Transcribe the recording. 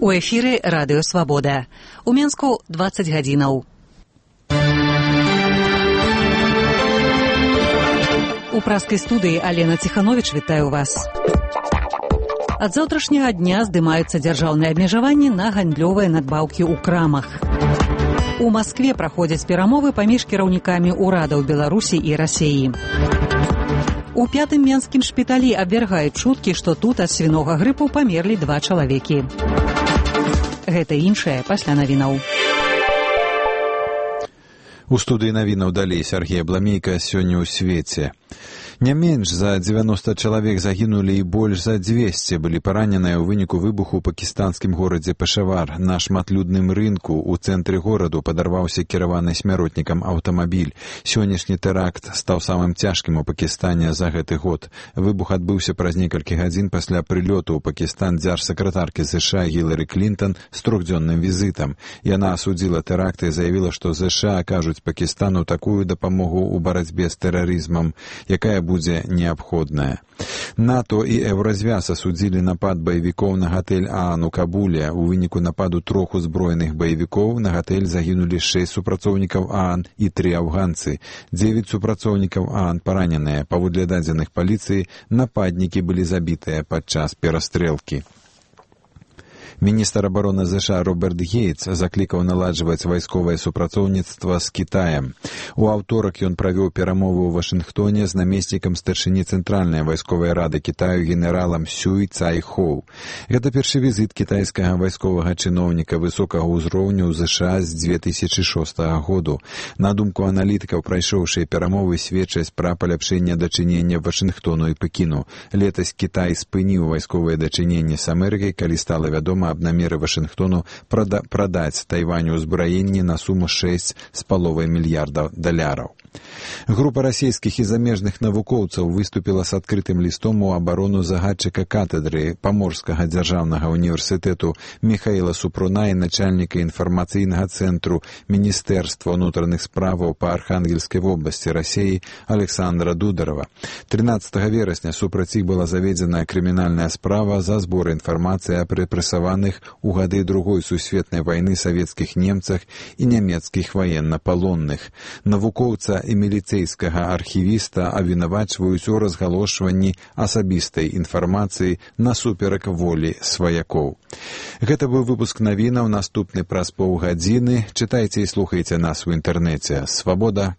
У эфіры радыё «Свабода». У Менску 20 гадзінаў. У праскай студыі Алена Ціхановіч вітаю вас. Ад заўтрашняга дня здымаюцца дзяржаўныя абмежаванні на гандлёвыя надбаўкі ў крамах. У Маскве праходзяць перамовы паміж кіраўнікамі ўрадаў Беларусі і Расеі. У 5-м менскім шпіталі абвяргаюць чуткі, што тут ад свінога грыпу памерлі 2 чалавекі. Гэта іншае пасля навінаў. У студыі навінаў далей Сергей Абламейка. Сёння ў свеце. Не менш за 90 чалавек загінулі і больш за 200 былі параненыя ў выніку выбуху ў пакістанскім горадзе Пешавар. На шматлюдным рынку ў цэнтры гораду падарваўся кіраваны смяротнікам аўтамабіль. Сённяшні тэракт стаў самым цяжкім у Пакістане за гэты год. Выбух адбыўся праз некалькі гадзін пасля прылёту ў Пакістан дзяржсакратаркі США Гілары Клінтон з 3-дзённым візітам. Яна асудзіла тэракт і заявіла, што США акажуць Пакістану такую дапамогу ў барацьбе з тэрарызмам, якая будзе неабходная. НАТО і Еўразвяз асудзілі напад баевікоў на гатэль ААН у Кабуле. У выніку нападу 3 узброеных баевікоў на гатэль загінулі 6 супрацоўнікаў ААН і 3 афганцы. 9 супрацоўнікаў ААН параненыя. Паводле дадзеных паліцыі, нападнікі былі забітыя падчас перастрэлкі. Міністр абароны США Роберт Гейтс заклікаў наладжваць вайсковае супрацоўніцтва з Кітаем. У аўторак ён правёў перамовы ў Вашынгтоне з намеснікам старшыні Цэнтральнай вайсковай рады Кітаю генералам Сюй Цай Хоу. Гэта першы візіт кітайскага вайсковага чыноўніка высокага ўзроўню ў США з 2006 году. На думку аналітыкаў, прайшоўшыя перамовы сведчаць пра паляпшэнне дачынення Вашынгтону і Пекіну. Летась Кітай спыніў вайсковыя дачыненні з Амерыкай, калі стала вядома аб намеры Вашынгтону прадаць Тайваню ўзбраенні на суму $6,5 мільярдаў. Група расійскіх і замежных навукоўцаў выступіла з адкрытым лістом у абарону загадчыка катедры Паморскага дзяржаўнага універсітэту Міхаіла Супруна і начальніка інфармацыйнага цэнтру Міністэрства ўнутраных справаў па Архангельскай вобласці Расеі Александра Дударова. 13 верасня супраць іх была заведзена крымінальная справа за збор інфармацыі аб рэпрэсаваных у гады Другой сусветнай вайны савецкіх немцах і нямецкіх ваеннапалонных. Навукоўца і міліцэйскага архівіста абвінавачваюць у разгалошванні асабістай інфармацыі насуперак волі сваякоў. Гэта быў выпуск навінаў. Наступны праз паўгадзіны. Чытайце і слухайце нас у інтэрнэце. Свабода.